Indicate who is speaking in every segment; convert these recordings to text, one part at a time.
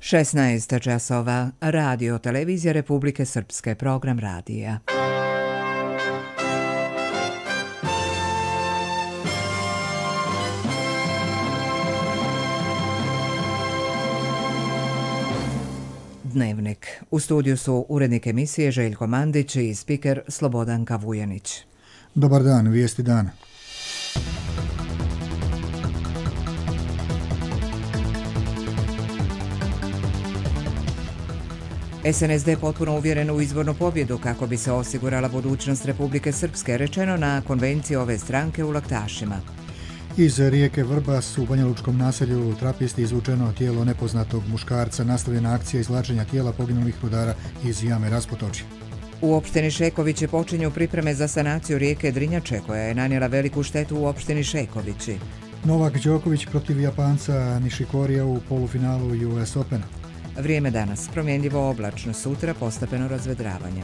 Speaker 1: 16 časova, radio televizija Republike Srpske, program radija. Dnevnik. U studiju su urednik emisije Željko Mandić i spiker Slobodanka Vujanić.
Speaker 2: Dobar dan, vijesti dana.
Speaker 1: SNSD potpuno uvjeren u izbornu pobjedu kako bi se osigurala budućnost Republike Srpske, rečeno na konvenciji ove stranke u Laktašima.
Speaker 2: Iz rijeke Vrbas u banjalučkom naselju Trapisti izvučeno tijelo nepoznatog muškarca, nastavljena akcija izvlačenja tijela poginulih rudara iz jame Raspotočje.
Speaker 1: U opštini Šekovići počinju pripreme za sanaciju rijeke Drinjače, koja je nanijela veliku štetu u opštini Šekovići.
Speaker 2: Novak Đoković protiv Japanca Nishikorija u polufinalu US Opena.
Speaker 1: Vrijeme danas, promjenljivo oblačno, sutra postepeno razvedravanje.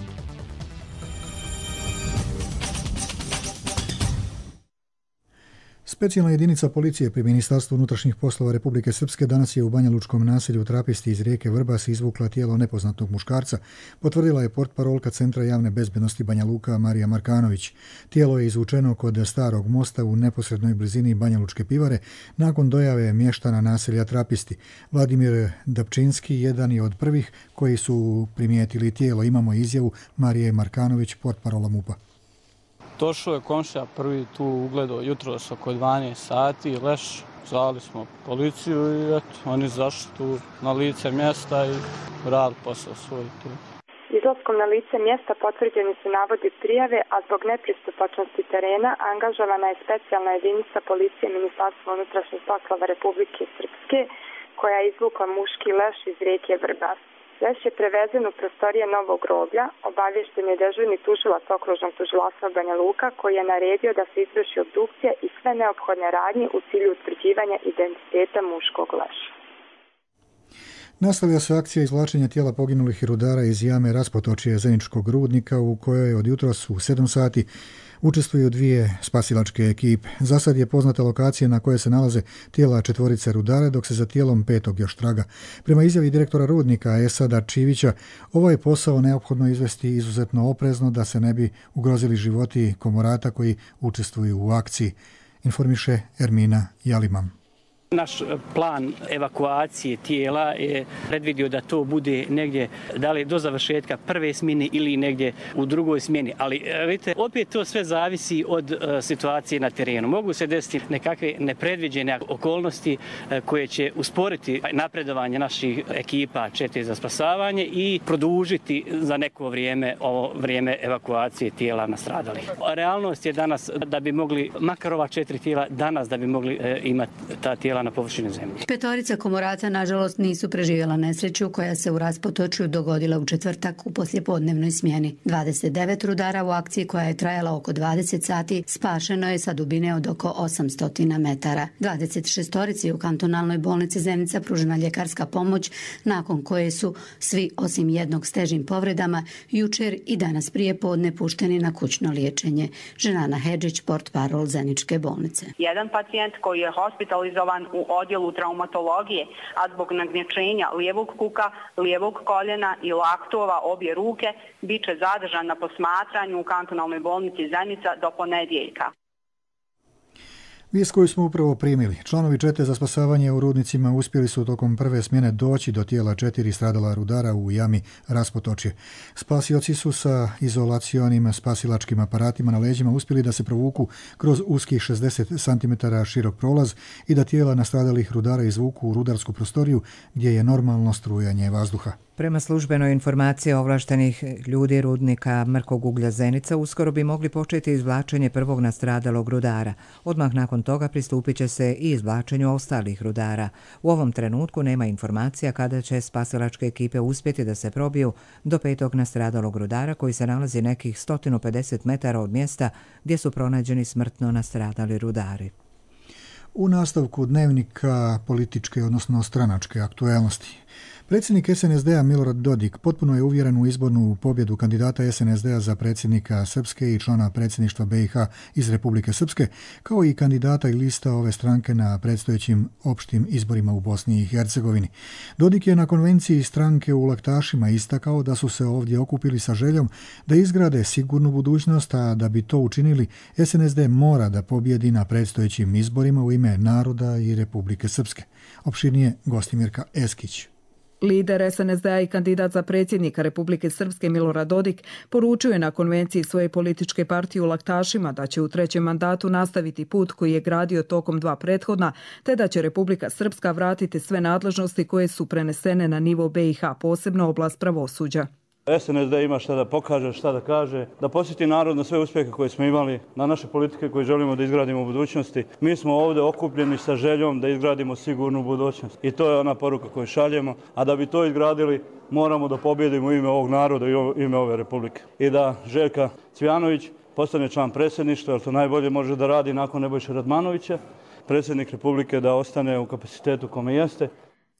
Speaker 2: Specijalna jedinica policije pri Ministarstvu unutrašnjih poslova Republike Srpske danas je u banjalučkom naselju Trapisti iz rijeke Vrbas izvukla tijelo nepoznatog muškarca, potvrdila je portparolka Centra javne bezbednosti Banja Luka Marija Markanović. Tijelo je izvučeno kod starog mosta u neposrednoj blizini Banjalučke pivare nakon dojave mještana naselja Trapisti. Vladimir Dapčinski jedan je od prvih koji su primijetili tijelo. Imamo izjavu Marije Markanović, portparola MUP-a.
Speaker 3: Došao je komšija prvi tu ugledao jutros oko 12 sati, leš, zvali smo policiju i eto, oni zašli tu na lice mjesta i radili posao svoj tu.
Speaker 4: Izlaskom na lice mjesta potvrđeni su navodi prijave, a zbog nepristupačnosti terena angažovana je specijalna jedinica policije Ministarstva unutrašnjih poslova Republike Srpske, koja je izvukla muški leš iz rijeke Vrbas. Leš je prevezen u prostorije Novog groblja, obavješten je dežurni tužilac okružnog tužilaštva Banja Luka, koji je naredio da se izvrši obdukcija i sve neophodne radnje u cilju utvrđivanja identiteta muškog leša.
Speaker 2: Nastavlja se akcija izvlačenja tijela poginulih rudara iz jame Raspotočje Zeničkog rudnika, u kojoj od jutros u 7 sati učestvuju dvije spasilačke ekipe. Za sad je poznata lokacija na kojoj se nalaze tijela 4 rudara, dok se za tijelom 5. još traga. Prema izjavi direktora rudnika Esada Čivića, ovo je posao neophodno izvesti izuzetno oprezno da se ne bi ugrozili životi komorata koji učestvuju u akciji, informiše Ermina Jalimam.
Speaker 5: Naš plan evakuacije tijela je predvidio da to bude negdje da li do završetka prve smjene ili negdje u drugoj smjeni. Ali vidite, opet to sve zavisi od situacije na terenu. Mogu se desiti nekakve nepredviđene okolnosti koje će usporiti napredovanje naših ekipa čete za spasavanje i produžiti za neko vrijeme ovo vrijeme evakuacije tijela nastradalih. Realnost je danas da bi mogli, makar ova 4 tijela danas da bi mogli imati ta tijela na površini zemlje.
Speaker 6: 5 komorata nažalost nisu preživjela nesreću koja se u Raspotočju dogodila u četvrtak u poslijepodnevnoj smjeni. 29 rudara u akciji koja je trajala oko 20 sati spašeno je sa dubine od oko 800 metara. 26 u kantonalnoj bolnici Zenica pružena ljekarska pomoć, nakon koje su svi osim jednog s težim povredama jučer i danas prije podne pušteni na kućno liječenje. Ženana Hedžić, portparol Zeničke bolnice.
Speaker 7: Jedan pacijent koji je hospitalizovan u odjelu traumatologije, a zbog nagnječenja lijevog kuka, lijevog koljena i laktova obje ruke, bit će zadržan na posmatranju u kantonalnoj bolnici Zenica do ponedjeljka.
Speaker 2: Vijest koju smo upravo primili. Članovi čete za spasavanje u rudnicima uspjeli su tokom prve smjene doći do tijela 4 stradala rudara u jami Raspotočje. Spasioci su sa izolacionim spasilačkim aparatima na leđima uspjeli da se provuku kroz uskih 60 cm širok prolaz i da tijela nastradalih rudara izvuku u rudarsku prostoriju gdje je normalno strujanje vazduha.
Speaker 1: Prema službenoj informaciji ovlaštenih ljudi rudnika Mrkog uglja Zenica uskoro bi mogli početi izvlačenje prvog nastradalog rudara. Odmah nakon toga pristupit će se i izvlačenju ostalih rudara. U ovom trenutku nema informacija kada će spasilačke ekipe uspjeti da se probiju do 5. nastradalog rudara koji se nalazi nekih 150 metara od mjesta gdje su pronađeni smrtno nastradali rudari.
Speaker 2: U nastavku dnevnika političke, odnosno stranačke aktuelnosti. Predsjednik SNSD-a Milorad Dodik potpuno je uvjeren u izbornu pobjedu kandidata SNSD-a za predsjednika Srpske i člana predsjedništva BiH iz Republike Srpske, kao i kandidata i lista ove stranke na predstojećim opštim izborima u Bosni i Hercegovini. Dodik je na konvenciji stranke u Laktašima istakao da su se ovdje okupili sa željom da izgrade sigurnu budućnost, a da bi to učinili, SNSD mora da pobjedi na predstojećim izborima u ime naroda i Republike Srpske. Opširnije Gostimirka Eskić.
Speaker 8: Lider SNSD-a i kandidat za predsjednika Republike Srpske Milorad Dodik poručio je na konvenciji svoje političke partije u Laktašima da će u trećem mandatu nastaviti put koji je gradio tokom 2 prethodna, te da će Republika Srpska vratiti sve nadležnosti koje su prenesene na nivo BiH, posebno oblast pravosuđa.
Speaker 9: SNSD ima šta da pokaže, šta da kaže, da posjeti narod na sve uspjehe koje smo imali, na naše politike koje želimo da izgradimo u budućnosti. Mi smo ovdje okupljeni sa željom da izgradimo sigurnu budućnost. I to je ona poruka koju šaljemo, a da bi to izgradili moramo da pobjedimo u ime ovog naroda i u ime ove republike. I da Željka Cvijanović postane član predsjedništva, jer to najbolje može da radi nakon Nebojše Radmanovića, predsjednik republike da ostane u kapacitetu kome jeste.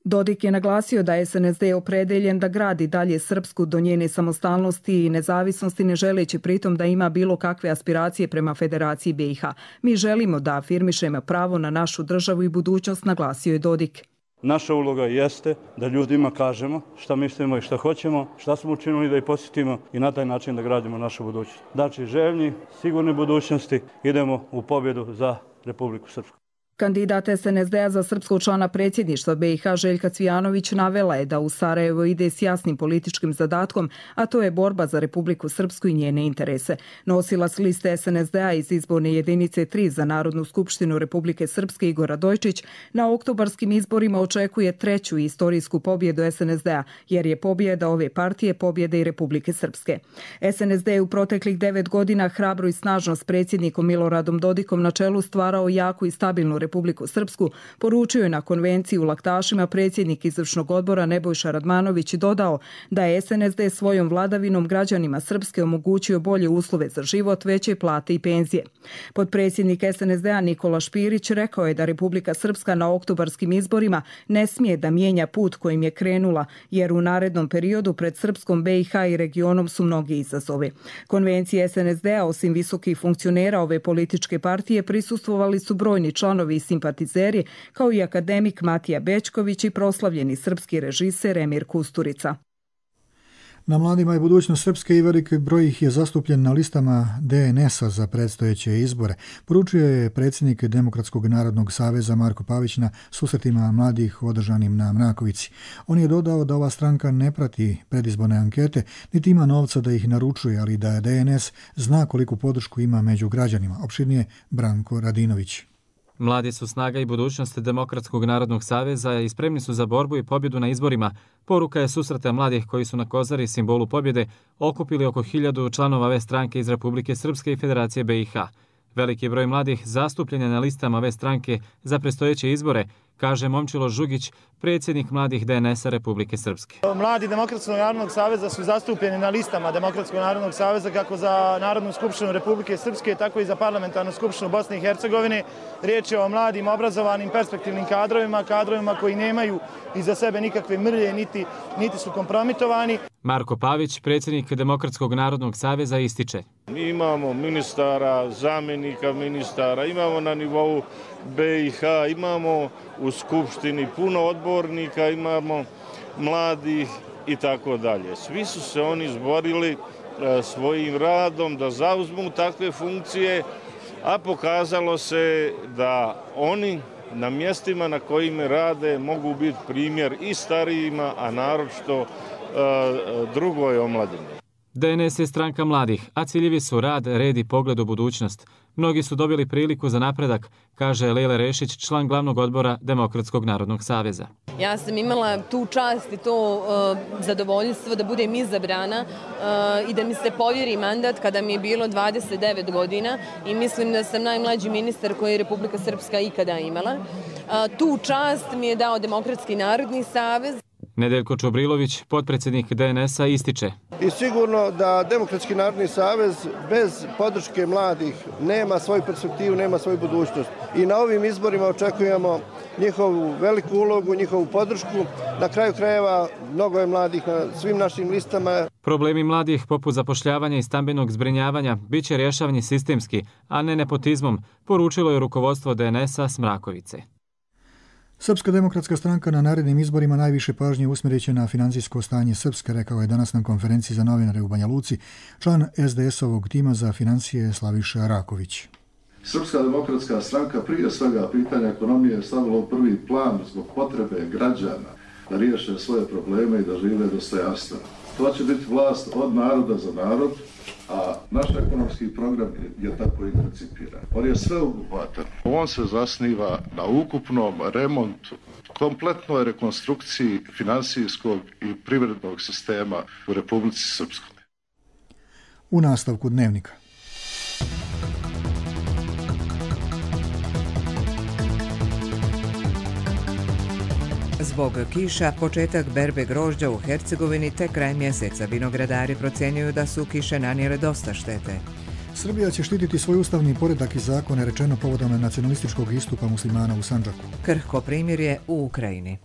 Speaker 8: Dodik je naglasio da je SNSD opredeljen da gradi dalje Srpsku do njene samostalnosti i nezavisnosti, ne želeći pritom da ima bilo kakve aspiracije prema Federaciji BiH. Mi želimo da afirmišemo pravo na našu državu i budućnost, naglasio je Dodik.
Speaker 9: Naša uloga jeste da ljudima kažemo šta mislimo i šta hoćemo, šta smo učinili da ih posjetimo i na taj način da gradimo našu budućnost. Znači željni, sigurne budućnosti, idemo u pobjedu za Republiku Srpsku.
Speaker 8: Kandidat SNSD-a za srpskog člana predsjedništva BiH Željka Cvijanović navela je da u Sarajevo ide s jasnim političkim zadatkom, a to je borba za Republiku Srpsku i njene interese. Nosilac liste SNSD-a iz izborne jedinice 3 za Narodnu skupštinu Republike Srpske Igor Radojčić na oktobarskim izborima očekuje 3. istorijsku pobjedu SNSD-a, jer je pobjeda ove partije pobjeda i Republike Srpske. SNSD je u proteklih 9 godina hrabro i snažno s predsjednikom Miloradom Dodikom na čelu stvarao jaku i stabilnu Republiku Srpsku, poručio je na konvenciji u Laktašima predsjednik izvršnog odbora Nebojša Radmanović i dodao da je SNSD svojom vladavinom građanima Srpske omogućio bolje uslove za život, veće plate i penzije. Potpredsjednik SNSD-a Nikola Špirić rekao je da Republika Srpska na oktobarskim izborima ne smije da mijenja put kojim je krenula, jer u narednom periodu pred Srpskom, BiH i regionom su mnogi izazovi. Konvencije SNSD-a osim visokih funkcionera ove političke partije prisustvovali su brojni članovi i simpatizeri, kao i akademik Matija Bećković i proslavljeni srpski režiser Emir Kusturica.
Speaker 2: Na Mladima i budućnost Srpske i veliki broj ih je zastupljen na listama DNS-a za predstojeće izbore, poručio je predsjednik Demokratskog narodnog saveza Marko Pavić na susretima mladih održanim na Mrakovici. On je dodao da ova stranka ne prati predizborne ankete, niti ima novca da ih naručuje, ali da DNS zna koliku podršku ima među građanima. Opširnije Branko Radinović.
Speaker 10: Mladi su snaga i budućnost Demokratskog narodnog saveza i spremni su za borbu i pobjedu na izborima. Poruka je susreta mladih koji su na Kozari, simbolu pobjede, okupili oko 1000 članova ove stranke iz Republike Srpske i Federacije BiH. Veliki broj mladih zastupljen je na listama ove stranke za predstojeće izbore, kaže Momčilo Žugić, predsjednik mladih DNS-a Republike Srpske.
Speaker 11: Mladi Demokratskog narodnog saveza su zastupljeni na listama Demokratskog narodnog saveza kako za Narodnu skupštinu Republike Srpske, tako i za Parlamentarnu skupštinu Bosne i Hercegovine. Riječ je o mladim, obrazovanim, perspektivnim kadrovima koji nemaju iza sebe nikakve mrlje, niti su kompromitovani.
Speaker 10: Marko Pavić, predsjednik Demokratskog narodnog saveza, ističe.
Speaker 12: Mi imamo ministara, zamjenika ministara, imamo na nivou BiH, imamo u Skupštini puno odbornika, imamo mladih i tako dalje. Svi su se oni izborili svojim radom da zauzmu takve funkcije, a pokazalo se da oni na mjestima na kojima rade mogu biti primjer i starijima, a naročito drugoj omladini.
Speaker 10: DNS je stranka mladih, a ciljevi su rad, red i pogled u budućnost. Mnogi su dobili priliku za napredak, kaže Lejla Rešić, član glavnog odbora Demokratskog narodnog saveza.
Speaker 13: Ja sam imala tu čast i to zadovoljstvo da budem izabrana i da mi se povjeri mandat kada mi je bilo 29 godina i mislim da sam najmlađi ministar koji je Republika Srpska ikada imala. Tu čast mi je dao Demokratski narodni savez.
Speaker 10: Nedeljko Čobrilović, potpredsjednik DNS-a, ističe.
Speaker 14: I sigurno da Demokratski narodni savez bez podrške mladih nema svoju perspektivu, nema svoju budućnost. I na ovim izborima očekujemo njihovu veliku ulogu, njihovu podršku. Na kraju krajeva mnogo je mladih na svim našim listama.
Speaker 10: Problemi mladih poput zapošljavanja i stambenog zbrinjavanja bit će rješavani sistemski, a ne nepotizmom, poručilo je rukovodstvo DNS-a Smrakovice.
Speaker 2: Srpska demokratska stranka na narednim izborima najviše pažnje usmjerit će na financijsko stanje Srpske, rekao je danas na konferenciji za novinare u Banja Luci član SDS-ovog tima za financije Slaviša Raković.
Speaker 15: Srpska demokratska stranka prije svega pitanja ekonomije je stavila u prvi plan zbog potrebe građana da riješe svoje probleme i da žive dostojanstveno. To će biti vlast od naroda za narod, a naš ekonomski program je tako i koncipiran. On je sveobuhvatan. On se zasniva na ukupnom remontu, kompletnoj rekonstrukciji finansijskog i privrednog sistema u Republici Srpskoj.
Speaker 2: U nastavku dnevnika.
Speaker 1: Zbog kiša, početak berbe grožđa u Hercegovini te kraj mjeseca. Vinogradari procjenjuju da su kiše nanijele dosta štete.
Speaker 2: Srbija će štititi svoj ustavni poredak i zakone, rečeno povodom nacionalističkog istupa muslimana u Sandžaku.
Speaker 1: Krhko primirje u Ukrajini.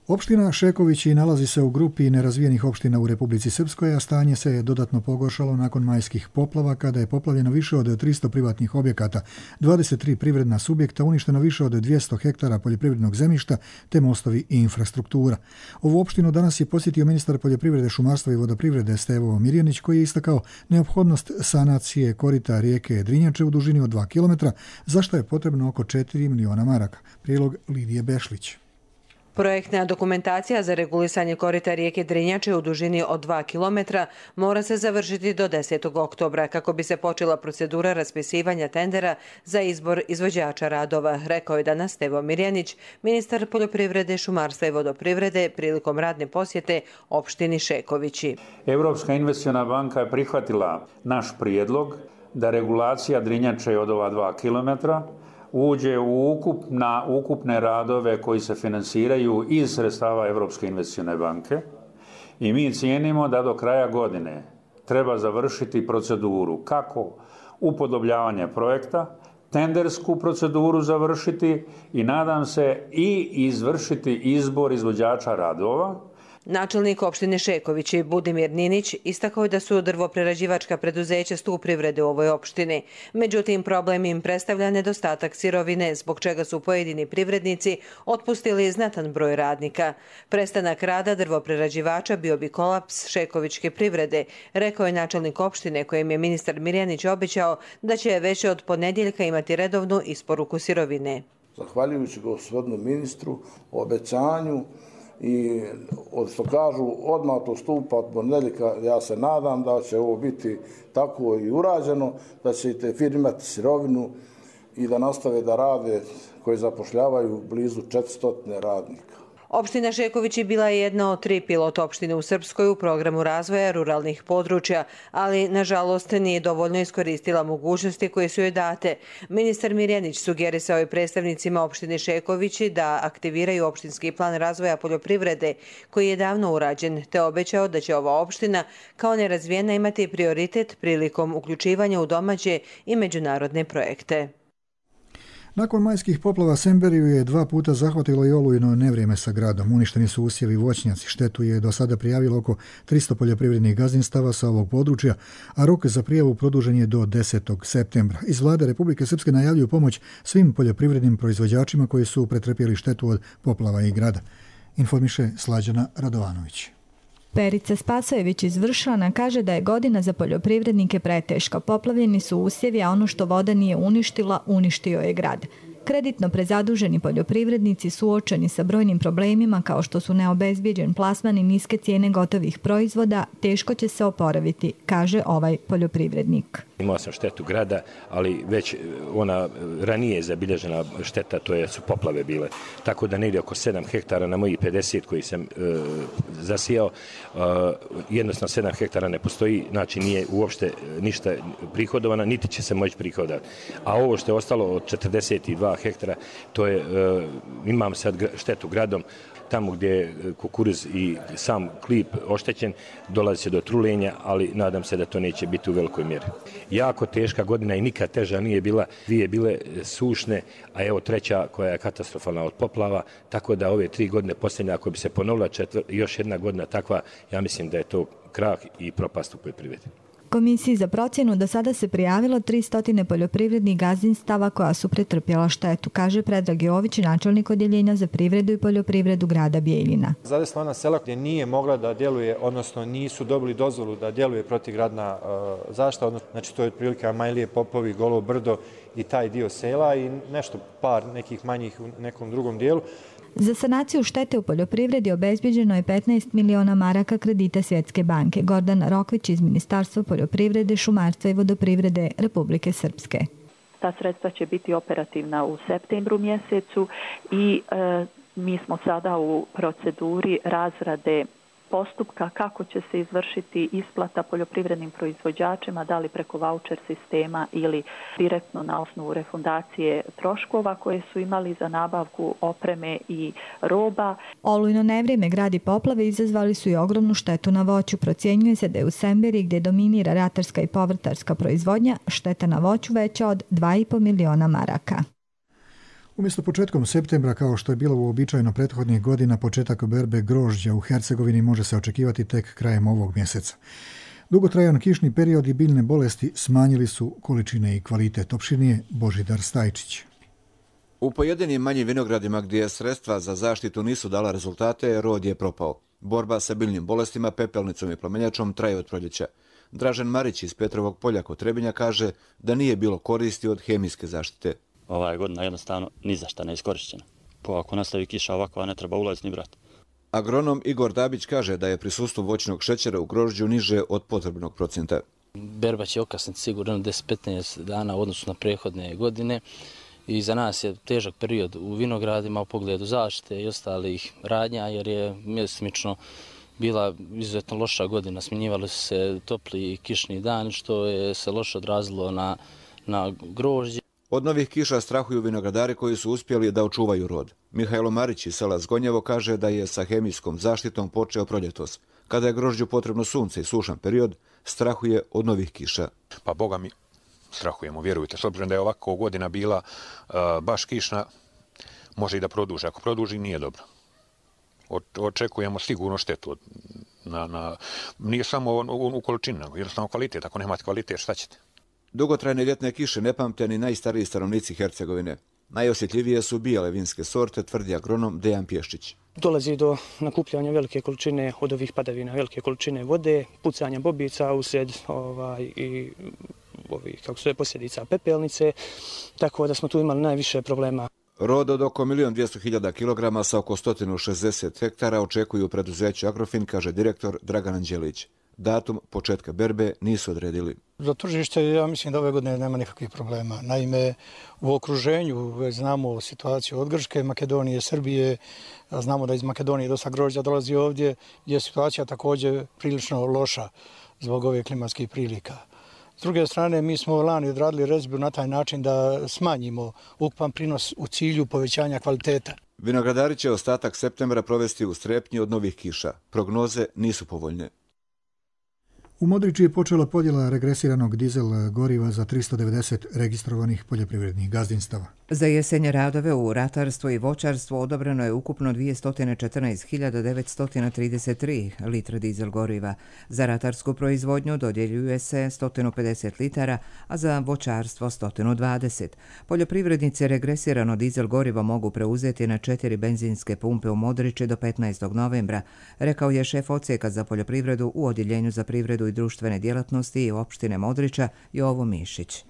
Speaker 2: Opština Šekovići nalazi se u grupi nerazvijenih opština u Republici Srpskoj, a stanje se je dodatno pogoršalo nakon majskih poplava, kada je poplavljeno više od 300 privatnih objekata, 23 privredna subjekta, uništeno više od 200 hektara poljoprivrednog zemljišta, te mostovi i infrastruktura. Ovu opštinu danas je posjetio ministar poljoprivrede, šumarstva i vodoprivrede Stevo Mirjanić, koji je istakao neophodnost sanacije korita rijeke Drinjače u dužini od 2 km, za što je potrebno oko 4 miliona maraka. Prilog Lidije Bešlić.
Speaker 16: Projektna dokumentacija za regulisanje korita rijeke Drinjače u dužini od 2 km mora se završiti do 10. oktobra kako bi se počela procedura raspisivanja tendera za izbor izvođača radova, rekao je danas Stevo Mirjanić, ministar poljoprivrede, šumarstva i vodoprivrede prilikom radne posjete opštini Šekovići.
Speaker 17: Europska investiciona banka je prihvatila naš prijedlog da regulacija Drinjače od ova 2 km uđe u ukupne radove koji se finansiraju iz sredstava Europske investicione banke i mi cijenimo da do kraja godine treba završiti proceduru kako upodobljavanje projekta, tendersku proceduru završiti i nadam se i izvršiti izbor izvođača radova.
Speaker 16: Načelnik opštine Šekovići Budimir Ninić istakao je da su drvoprerađivačka preduzeća stup privrede u ovoj opštini. Međutim, problem im predstavlja nedostatak sirovine, zbog čega su pojedini privrednici otpustili znatan broj radnika. Prestanak rada drvoprerađivača bio bi kolaps šekovičke privrede, rekao je načelnik opštine, kojem je ministar Mirjanić obećao da će već od ponedjeljka imati redovnu isporuku sirovine.
Speaker 18: Zahvaljujući gospodinu ministru obećanju i što kažu odmah to stupa od ponedjeljka, ja se nadam da će ovo biti tako i urađeno, da će te firme imati sirovinu i da nastave da rade, koji zapošljavaju blizu 400 radnika.
Speaker 16: Opština Šekovići bila je jedna od 3 pilot opštine u Srpskoj u programu razvoja ruralnih područja, ali nažalost nije dovoljno iskoristila mogućnosti koje su joj date. Ministar Mirjanić sugerisao je predstavnicima opštine Šekovići da aktiviraju opštinski plan razvoja poljoprivrede koji je davno urađen, te obećao da će ova opština kao nerazvijena imati prioritet prilikom uključivanja u domaće i međunarodne projekte.
Speaker 2: Nakon majskih poplava Semberiju je 2 puta zahvatilo i olujno nevrijeme sa gradom. Uništeni su usjevi i voćnjaci. Štetu je do sada prijavilo oko 300 poljoprivrednih gazdinstava sa ovog područja, a rok za prijavu produžen je do 10. septembra. Iz vlade Republike Srpske najavljuju pomoć svim poljoprivrednim proizvođačima koji su pretrpjeli štetu od poplava i grada. Informiše Slađana Radovanović.
Speaker 19: Perica Spasojević iz Vršana kaže da je godina za poljoprivrednike preteška. Poplavljeni su usjevi, a ono što voda nije uništila, uništio je grad. Kreditno prezaduženi poljoprivrednici suočeni sa brojnim problemima kao što su neobezbijeđen plasman i niske cijene gotovih proizvoda, teško će se oporaviti, kaže ovaj poljoprivrednik.
Speaker 20: Imao sam štetu grada, ali već ona ranije zabilježena šteta, to su poplave bile. Tako da negdje oko 7 hektara na mojih 50 koji sam zasijao, jednostavno 7 hektara ne postoji, znači nije uopšte ništa prihodovana, niti će se moći prihodati. A ovo što je ostalo od 42 2 hektara. To je, imam sad štetu gradom, tamo gdje je kukuruz i sam klip oštećen, dolazi se do trulenja, ali nadam se da to neće biti u velikoj mjeri. Jako teška godina i nikad teža nije bila, 2 bile sušne, a evo 3 koja je katastrofalna od poplava, tako da ove 3 godine posljednje, ako bi se ponovila još jedna godina takva, ja mislim da je to krah i propast u poljoprivredi.
Speaker 19: Komisiji za procjenu do sada se prijavilo 300 poljoprivrednih gazdinstava koja su pretrpjela štetu, kaže Predrag Jović, načelnik odjeljenja za privredu i poljoprivredu grada Bijeljina.
Speaker 21: Zadesila ona sela gdje nije mogla da djeluje, odnosno nisu dobili dozvolu da djeluje protivgradna zaštita, znači to je otprilike Amajlije, Popovi, Golo Brdo i taj dio sela i nešto par nekih manjih u nekom drugom dijelu.
Speaker 19: Za sanaciju štete u poljoprivredi obezbeđeno je 15 miliona maraka kredita Svjetske banke. Gordan Rokvić iz Ministarstva poljoprivrede, šumarstva i vodoprivrede Republike Srpske.
Speaker 22: Ta sredstva će biti operativna u septembru mjesecu i mi smo sada u proceduri razrade postupka kako će se izvršiti isplata poljoprivrednim proizvođačima, da li preko vaučer sistema ili direktno na osnovu refundacije troškova koje su imali za nabavku opreme i roba.
Speaker 19: Olujno nevrijeme, grad i poplave izazvali su i ogromnu štetu na voću. Procjenjuje se da je u Semberi, gdje dominira ratarska i povrtarska proizvodnja, šteta na voću veća od 2,5 miliona maraka.
Speaker 2: Umjesto početkom septembra, kao što je bilo uobičajeno prethodnih godina, početak berbe grožđa u Hercegovini može se očekivati tek krajem ovog mjeseca. Dugotrajan kišni period i biljne bolesti smanjili su količine i kvalitet. Opširnije Božidar Stajčić.
Speaker 23: U pojedinim manjim vinogradima gdje sredstva za zaštitu nisu dala rezultate, rod je propao. Borba sa biljnim bolestima, pepelnicom i plamenjačom traje od proljeća. Dražen Marić iz Petrovog polja kod Trebinja kaže da nije bilo koristi od hemijske zaštite.
Speaker 24: Ova godina jednostavno ni za šta ne iskorišćena. Ako nastavi kiša ovakva, ne treba ulaziti ni brati.
Speaker 23: Agronom Igor Dabić kaže da je prisustvo voćnog šećera u grožđu niže od potrebnog procenta.
Speaker 25: Berba će okasniti sigurno 10-15 dana u odnosu na prethodne godine i za nas je težak period u vinogradima u pogledu zaštite i ostalih radnja jer je mjesemično bila izuzetno loša godina. Smjenjivali su se topli i kišni dani što je se loše odrazilo na grožđe.
Speaker 23: Od novih kiša strahuju vinogradari koji su uspjeli da očuvaju rod. Mihajlo Marić iz sela Zgonjevo kaže da je sa hemijskom zaštitom počeo proljetos. Kada je grožđu potrebno sunce i sušan period, strahuje od novih kiša.
Speaker 26: Pa Boga mi strahujemo, vjerujte. S obzirom da je ovako godina bila baš kišna, može i da produži. Ako produži, nije dobro. Očekujemo sigurno štetu. Nije samo u količini, nego jednostavno kvalitet. Ako nemate kvalitet, šta ćete?
Speaker 23: Dugotrajne ljetne kiše ne pamte ni najstariji stanovnici Hercegovine. Najosjetljivije su bijele vinske sorte, tvrdi agronom Dejan Pješčić.
Speaker 27: Dolazi do nakupljanja velike količine od ovih padavina, velike količine vode, pucanja bobica usred i posljedica pepelnice, tako da smo tu imali najviše problema.
Speaker 23: Rod od oko 1.200.000 kilograma sa oko 160 hektara očekuju preduzeće Agrofin, kaže direktor Dragan Anđelić. Datum početka berbe nisu odredili.
Speaker 28: Za tržište ja mislim da ove godine nema nikakvih problema. Naime, u okruženju već znamo situaciju od Grčke, Makedonije, Srbije. Znamo da iz Makedonije dosta grožđa dolazi ovdje, gdje je situacija također prilično loša zbog ove klimatskih prilika. S druge strane, mi smo lani odradili rezbu na taj način da smanjimo ukupan prinos u cilju povećanja kvaliteta.
Speaker 23: Vinogradari će ostatak septembra provesti u strepnji od novih kiša. Prognoze nisu povoljne.
Speaker 2: U Modriči je počela podjela regresiranog dizel goriva za 390 registrovanih poljoprivrednih gazdinstava.
Speaker 1: Za jesenje radove u ratarstvu i voćarstvu odobreno je ukupno 214.933 litre dizel goriva. Za ratarsku proizvodnju dodjeljuje se 150 litara, a za voćarstvo 120. Poljoprivrednici regresirano dizel gorivo mogu preuzeti na 4 benzinske pumpe u Modriči do 15. novembra, rekao je šef odsjeka za poljoprivredu u Odjeljenju za privredu i društvene djelatnosti i opštine Modriča Jovo Mišić.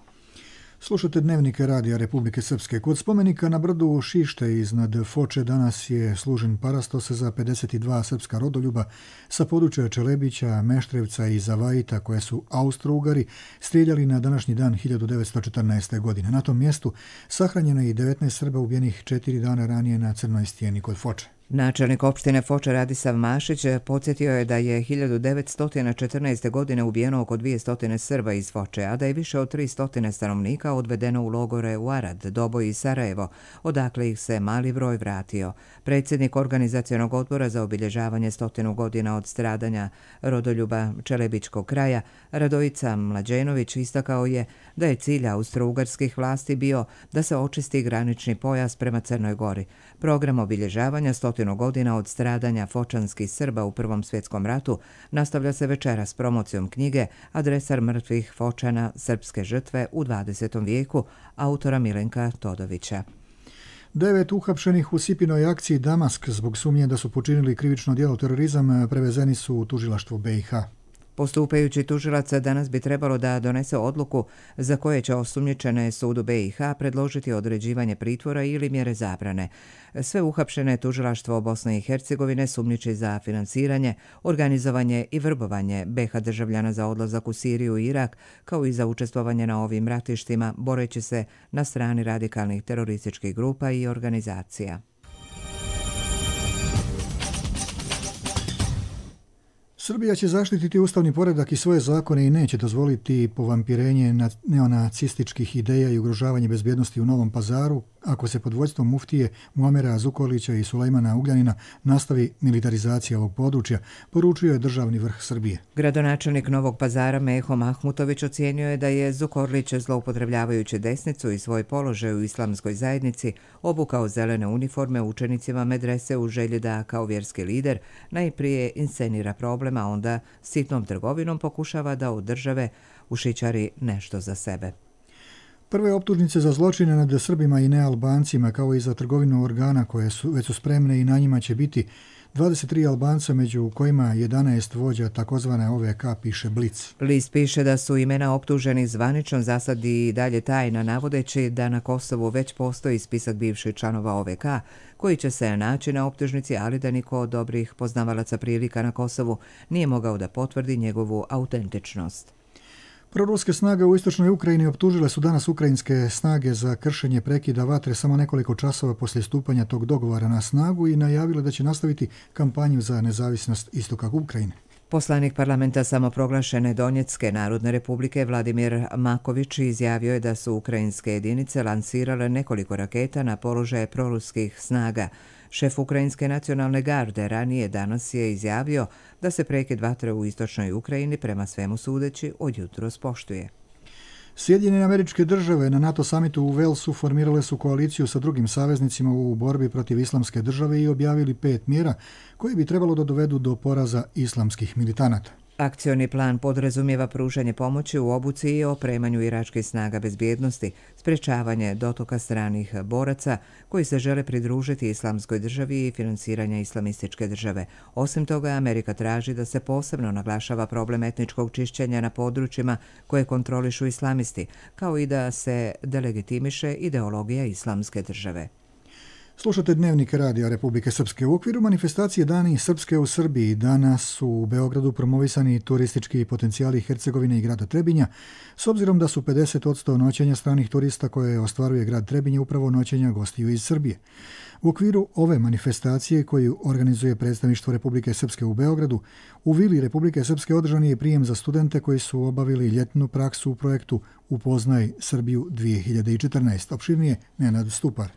Speaker 2: Slušate Dnevnike Radija Republike Srpske. Kod spomenika na brdu Šište iznad Foče danas je služen parastos za 52 srpska rodoljuba sa područja Čelebića, Meštrevca i Zavajita koje su Austro-Ugari strijeljali na današnji dan 1914. godine. Na tom mjestu sahranjeno je i 19 Srba ubijenih 4 dana ranije na Crnoj stijeni kod Foče.
Speaker 1: Načelnik opštine Foča Radisav Mašić podsjetio je da je 1914. godine ubijeno oko 200 Srba iz Foče, a da je više od 300 stanovnika odvedeno u logore u Arad, Doboj i Sarajevo, odakle ih se mali broj vratio. Predsjednik organizacionog odbora za obilježavanje 100 godina od stradanja rodoljuba Čelebičkog kraja, Radojica Mlađenović, istakao je da je cilj austro-ugarskih vlasti bio da se očisti granični pojas prema Crnoj Gori. Program obilježavanja 100 godina od stradanja fočanskih Srba u Prvom svjetskom ratu nastavlja se večeras promocijom knjige Adresar mrtvih Fočana, srpske žrtve u 20. vijeku, autora Milenka Todovića.
Speaker 2: 9 uhapšenih u Sipinoj akciji Damask zbog sumnje da su počinili krivično djelo terorizam prevezeni su u tužilaštvo BiH.
Speaker 1: Postupajući tužilac danas bi trebalo da donese odluku za koje će osumnjičene sudu BiH predložiti određivanje pritvora ili mjere zabrane. Sve uhapšene tužilaštvo Bosne i Hercegovine sumnjiči za finansiranje, organizovanje i vrbovanje BiH državljana za odlazak u Siriju i Irak, kao i za učestvovanje na ovim ratištima, boreći se na strani radikalnih terorističkih grupa i organizacija.
Speaker 2: Srbija će zaštititi ustavni poredak i svoje zakone i neće dozvoliti povampirenje neonacističkih ideja i ugrožavanje bezbjednosti u Novom Pazaru ako se pod vodstvom muftije Muamera Zukorlića i Sulejmana Ugljanina nastavi militarizacija ovog područja, poručio je državni vrh Srbije.
Speaker 1: Gradonačelnik Novog Pazara Meho Mahmutović ocijenio je da je Zukorlić, zloupotrebljavajući desnicu i svoj položaj u islamskoj zajednici, obukao zelene uniforme učenicima medrese u želji da, kao vjerski lider, najprije inscenira problem, a onda sitnom trgovinom pokušava da od države ušićari nešto za sebe.
Speaker 2: Prve optužnice za zločine nad Srbima i nealbancima, kao i za trgovinu organa koje su već spremne i na njima će biti 23 Albanca, među kojima 11 vođa takozvane OVK, piše Blic.
Speaker 1: List piše da su imena optuženih zvanično zasad i dalje tajna, navodeći da na Kosovu već postoji spisak bivših članova OVK koji će se naći na optužnici, ali da niko od dobrih poznavalaca prilika na Kosovu nije mogao da potvrdi njegovu autentičnost.
Speaker 2: Proruske snage u istočnoj Ukrajini optužile su danas ukrajinske snage za kršenje prekida vatre samo nekoliko časova poslije stupanja tog dogovora na snagu i najavile da će nastaviti kampanju za nezavisnost istoka Ukrajine.
Speaker 1: Poslanik parlamenta samoproglašene Donjecke narodne republike Vladimir Maković izjavio je da su ukrajinske jedinice lansirale nekoliko raketa na položaje proruskih snaga. Šef Ukrajinske nacionalne garde ranije danas je izjavio da se prekid vatre u istočnoj Ukrajini prema svemu sudeći od jutros poštuje.
Speaker 2: Sjedinjene Američke Države na NATO samitu u Walesu formirale su koaliciju sa drugim saveznicima u borbi protiv islamske države i objavili 5 mjera koje bi trebalo da dovedu do poraza islamskih militanata.
Speaker 1: Akcioni plan podrazumijeva pružanje pomoći u obuci i opremanju iračkih snaga bezbjednosti, sprečavanje dotoka stranih boraca koji se žele pridružiti islamskoj državi i finansiranja islamističke države. Osim toga, Amerika traži da se posebno naglašava problem etničkog čišćenja na područjima koje kontrolišu islamisti, kao i da se delegitimiše ideologija islamske države.
Speaker 2: Slušate Dnevnik Radija Republike Srpske. U okviru manifestacije Dani Srpske u Srbiji danas su u Beogradu promovisani turistički potencijali Hercegovine i grada Trebinja, s obzirom da su 50% noćenja stranih turista koje ostvaruje grad Trebinje upravo noćenja gostiju iz Srbije. U okviru ove manifestacije koju organizuje predstavništvo Republike Srpske u Beogradu, u Vili Republike Srpske održan je prijem za studente koji su obavili ljetnu praksu u projektu Upoznaj Srbiju 2014. Opširnije Nenad Stupar.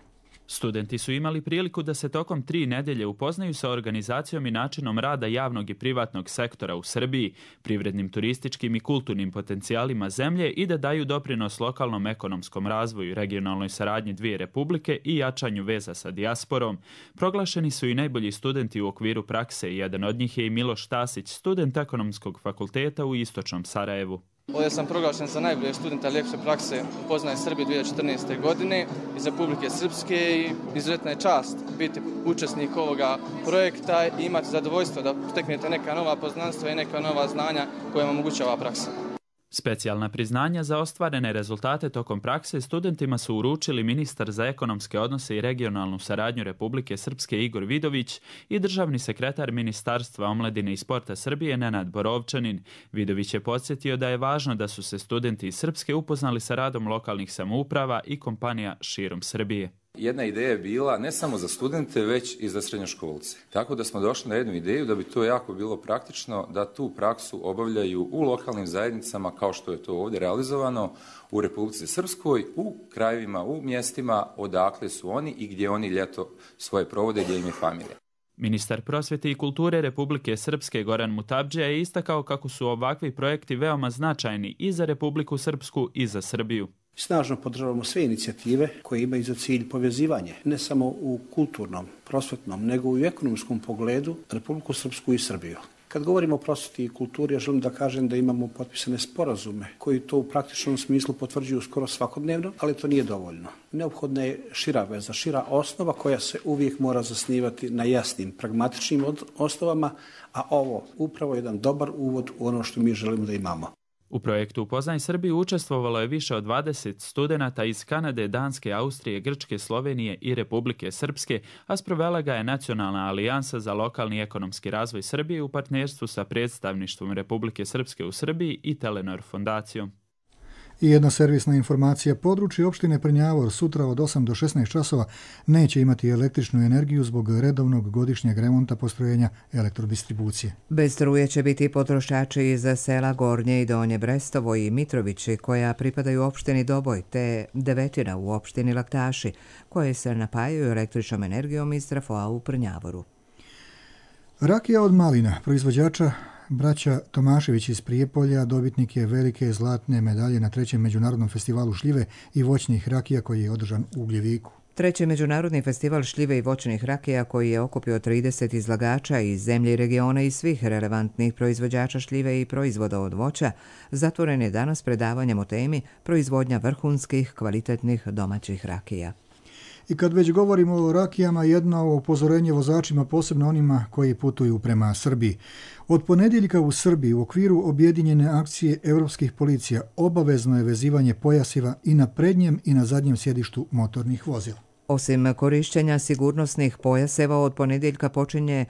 Speaker 3: Studenti su imali priliku da se tokom 3 nedelje upoznaju sa organizacijom i načinom rada javnog i privatnog sektora u Srbiji, privrednim, turističkim i kulturnim potencijalima zemlje i da daju doprinos lokalnom ekonomskom razvoju, regionalnoj saradnji dvije republike i jačanju veza sa dijasporom. Proglašeni su i najbolji studenti u okviru prakse. Jedan od njih je i Miloš Tasić, student ekonomskog fakulteta u istočnom Sarajevu.
Speaker 4: Ovdje sam proglašen za najboljeg studenta ljepše prakse Upoznaj Srbiju 2014. godine iz Republike Srpske i izuzetna je čast biti učesnik ovoga projekta i imati zadovoljstvo da steknete neka nova poznanstva i neka nova znanja koja vam omogućava praksa.
Speaker 3: Specijalna priznanja za ostvarene rezultate tokom prakse studentima su uručili ministar za ekonomske odnose i regionalnu saradnju Republike Srpske Igor Vidović i državni sekretar Ministarstva omladine i sporta Srbije Nenad Borovčanin. Vidović je podsjetio da je važno da su se studenti iz Srpske upoznali sa radom lokalnih samouprava i kompanija širom Srbije.
Speaker 5: Jedna ideja je bila ne samo za studente, već i za srednjoškolce. Tako da smo došli na jednu ideju da bi to jako bilo praktično da tu praksu obavljaju u lokalnim zajednicama kao što je to ovdje realizovano u Republici Srpskoj, u krajevima, u mjestima odakle su oni i gdje oni ljeto svoje provode, gdje im je familija.
Speaker 3: Ministar prosvjete i kulture Republike Srpske Goran Mutabdžija je istakao kako su ovakvi projekti veoma značajni i za Republiku Srpsku i za Srbiju.
Speaker 6: Snažno podržavamo sve inicijative koje imaju za cilj povezivanje, ne samo u kulturnom, prosvetnom, nego i u ekonomskom pogledu Republiku Srpsku i Srbiju. Kad govorimo o prosvjeti i kulturi, ja želim da kažem da imamo potpisane sporazume koji to u praktičnom smislu potvrđuju skoro svakodnevno, ali to nije dovoljno. Neophodna je šira veza, šira osnova koja se uvijek mora zasnivati na jasnim, pragmatičnim osnovama, a ovo upravo je jedan dobar uvod u ono što mi želimo da imamo.
Speaker 3: U projektu Upoznaj Srbiju učestvovalo je više od 20 studenata iz Kanade, Danske, Austrije, Grčke, Slovenije i Republike Srpske, a sprovela ga je Nacionalna alijansa za lokalni ekonomski razvoj Srbije u partnerstvu sa predstavništvom Republike Srpske u Srbiji i Telenor fondacijom.
Speaker 2: I jedna servisna informacija. Područje opštine Prnjavor sutra od 8 do 16 časova neće imati električnu energiju zbog redovnog godišnjeg remonta postrojenja elektrodistribucije.
Speaker 1: Bez struje će biti potrošači iz sela Gornje i Donje Brestovo i Mitrovići koja pripadaju opštini Doboj te Devetina u opštini Laktaši koje se napajaju električnom energijom iz trafoa u Prnjavoru.
Speaker 2: Rakija od malina, proizvođača braća Tomašević iz Prijepolja, dobitnik je velike zlatne medalje na 3. međunarodnom festivalu šljive i voćnih rakija koji je održan u Ugljeviku.
Speaker 1: 3. međunarodni festival šljive i voćnih rakija koji je okupio 30 izlagača iz zemlje i regiona i svih relevantnih proizvođača šljive i proizvoda od voća zatvoren je danas predavanjem o temi proizvodnja vrhunskih kvalitetnih domaćih rakija.
Speaker 2: I kad već govorimo o rakijama, jedno upozorenje vozačima, posebno onima koji putuju prema Srbiji. Od ponedjeljka u Srbiji u okviru objedinjene akcije europskih policija obavezno je vezivanje pojasiva i na prednjem i na zadnjem sjedištu motornih vozila.
Speaker 1: Osim korišćenja sigurnosnih pojaseva, od ponedjeljka počinje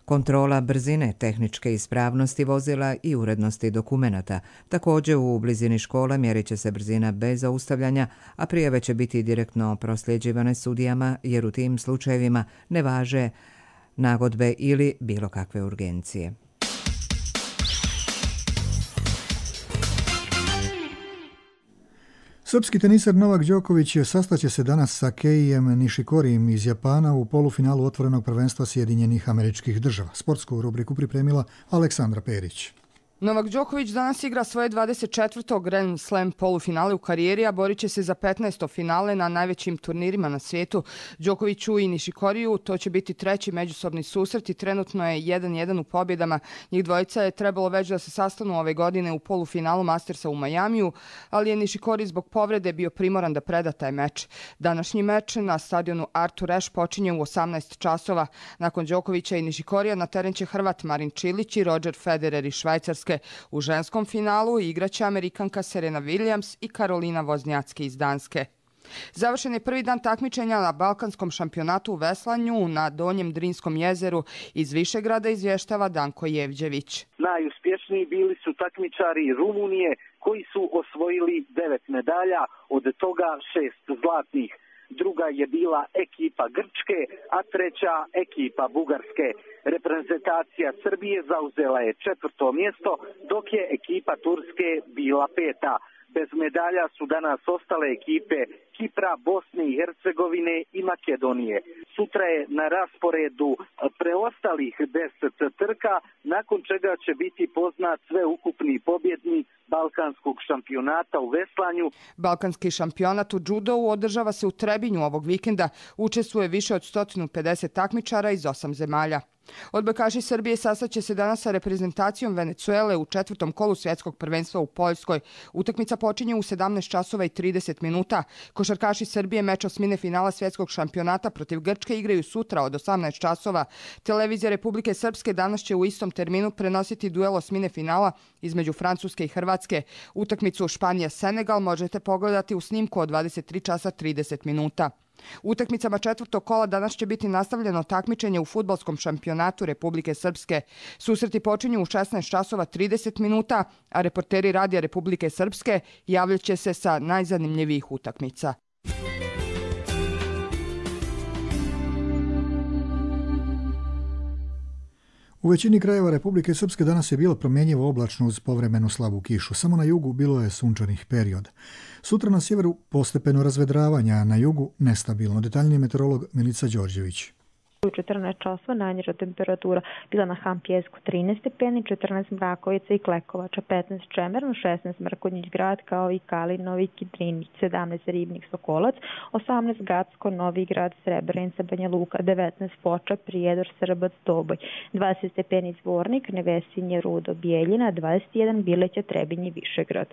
Speaker 1: kontrola brzine, tehničke ispravnosti vozila i urednosti dokumenata. Također u blizini škola mjerit će se brzina bez zaustavljanja, a prijave će biti direktno prosljeđivane sudijama jer u tim slučajevima ne važe nagodbe ili bilo kakve urgencije.
Speaker 2: Srpski tenisar Novak Đoković sastaće se danas sa Keijem Nishikorijem iz Japana u polufinalu otvorenog prvenstva Sjedinjenih Američkih Država. Sportsku rubriku pripremila Aleksandra Perić.
Speaker 7: Novak Đoković danas igra svoje 24. Grand Slam polufinale u karijeri, a borit će se za 15. finale na najvećim turnirima na svijetu. Đokoviću i Nishikoriju to će biti treći međusobni susret i trenutno je 1-1 u pobjedama. Njih dvojica je trebalo već da se sastanu ove godine u polufinalu Mastersa u Majamiju, ali je Nishikori zbog povrede bio primoran da preda taj meč. Današnji meč na stadionu Artur Ashe počinje u 18 časova. Nakon Đokovića i Nishikorija na teren će Hrvat Marin Čilić i Roger Federer iz Švajcarske. U ženskom finalu igraće Amerikanka Serena Williams i Karolina Voznjacki iz Danske. Završen je prvi dan takmičenja na Balkanskom šampionatu u veslanju na Donjem Drinskom jezeru. Iz Višegrada izvještava Danko Jevđević.
Speaker 8: Najuspješniji bili su takmičari Rumunije koji su osvojili 9 medalja, od toga 6 zlatnih. Druga je bila ekipa Grčke, a treća ekipa Bugarske. Reprezentacija Srbije zauzela je 4. mjesto, dok je ekipa Turske bila 5. Bez medalja su danas ostale ekipe Kipra, Bosne i Hercegovine i Makedonije. Sutra je na rasporedu preostalih 10 trka, nakon čega će biti poznat sveukupni pobjednik Balkanskog šampionata u veslanju.
Speaker 7: Balkanski šampionat u džudou održava se u Trebinju ovog vikenda. Učestvuje više od 150 takmičara iz 8 zemalja. Odbojkaši Srbije sastaće se danas sa reprezentacijom Venecuele u 4. kolu svjetskog prvenstva u Poljskoj. Utakmica počinje u 17 časova i 30 minuta. Košarkaši Srbije meč osmine finala svjetskog šampionata protiv Grčke igraju sutra od 18 časova. Televizija Republike Srpske danas će u istom terminu prenositi duel osmine finala između Francuske i Hrvatske. Utakmicu Španija-Senegal možete pogledati u snimku od 23 časa 30 minuta. Utakmicama 4. kola danas će biti nastavljeno takmičenje u fudbalskom šampionatu Republike Srpske. Susreti počinju u 16 časova 30 minuta, a reporteri Radija Republike Srpske javljat će se sa najzanimljivijih utakmica.
Speaker 2: U većini krajeva Republike Srpske danas je bilo promjenjivo oblačno uz povremenu slabu kišu. Samo na jugu bilo je sunčanih perioda. Sutra na sjeveru postepeno razvedravanja, a na jugu nestabilno. Detaljniji meteorolog Milica Đorđević.
Speaker 9: U 14 časova najniža temperatura bila na Hampjesku 13 stepeni, 14 Mrakovica i Klekovača, 15 Čemerno, 16 Mrkonjić grad kao i Kalinovi, Kidrinić, 17 Ribnik, Sokolac, 18 Gacko, Novi grad, Srebrenica, Banja Luka, 19 Foča, Prijedor, Srbac, Doboj, 20 stepeni Zvornik, Nevesinje, Rudo, Bijeljina, 21 Bileća, Trebinje, Višegrad.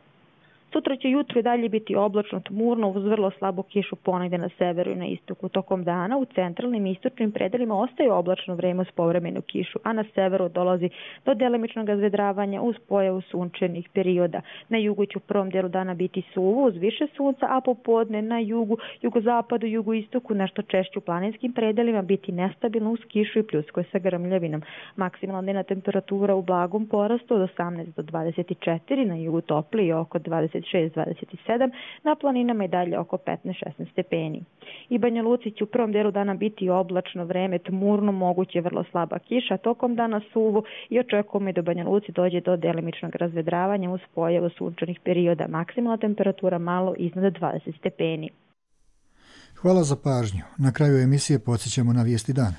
Speaker 9: Sutra će jutro i dalje biti oblačno, tmurno, uz vrlo slabu kišu ponegde na severu i na istoku. Tokom dana u centralnim i istočnim predelima ostaje oblačno vreme uz povremenu kišu, a na severu dolazi do delimičnog razvedravanja uz pojavu sunčanih perioda. Na jugu će u prvom delu dana biti suvo uz više sunca, a popodne na jugu, jugozapadu, jugoistoku, nešto češće u planinskim predelima biti nestabilno uz kišu i pljuskoj sa grmljavinom. Maksimalna dnevna temperatura u blagom porastu od 18 do 24, na jugu toplije oko 26-27, na planinama i dalje oko 15-16 stepeni. I Banja Luci će u prvom delu dana biti oblačno vreme, tmurno, moguće vrlo slaba kiša, tokom dana suvo i očekujemo i da Banja Luci dođe do delimičnog razvedravanja uz pojavu sunčanih perioda. Maksimalna temperatura malo iznad 20 stepeni.
Speaker 2: Hvala za pažnju. Na kraju emisije podsjećamo na vijesti dana.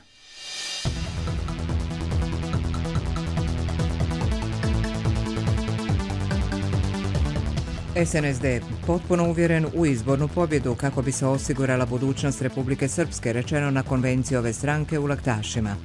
Speaker 1: SNSD potpuno uvjeren u izbornu pobjedu kako bi se osigurala budućnost Republike Srpske, rečeno na konvenciji ove stranke u Laktašima.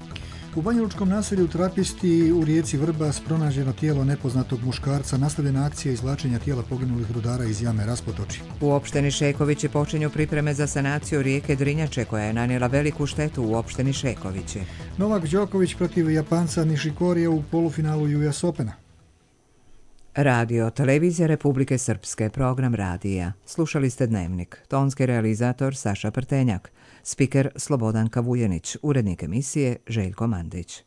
Speaker 2: U banjalučkom naselju Trapisti u rijeci Vrbas pronađeno tijelo nepoznatog muškarca, nastavljena akcija izvlačenja tijela poginulih rudara iz jame Raspotoči.
Speaker 1: U opštini Šekovići počinju pripreme za sanaciju rijeke Drinjače koja je nanijela veliku štetu u opštini Šekovići.
Speaker 2: Novak Đoković protiv Japanca Nišikorija u polufinalu US Opena.
Speaker 1: Radio, televizija Republike Srpske, program radija. Slušali ste Dnevnik. Tonski realizator Saša Prtenjak. Spiker Slobodanka Vujenić. Urednik emisije Željko Mandić.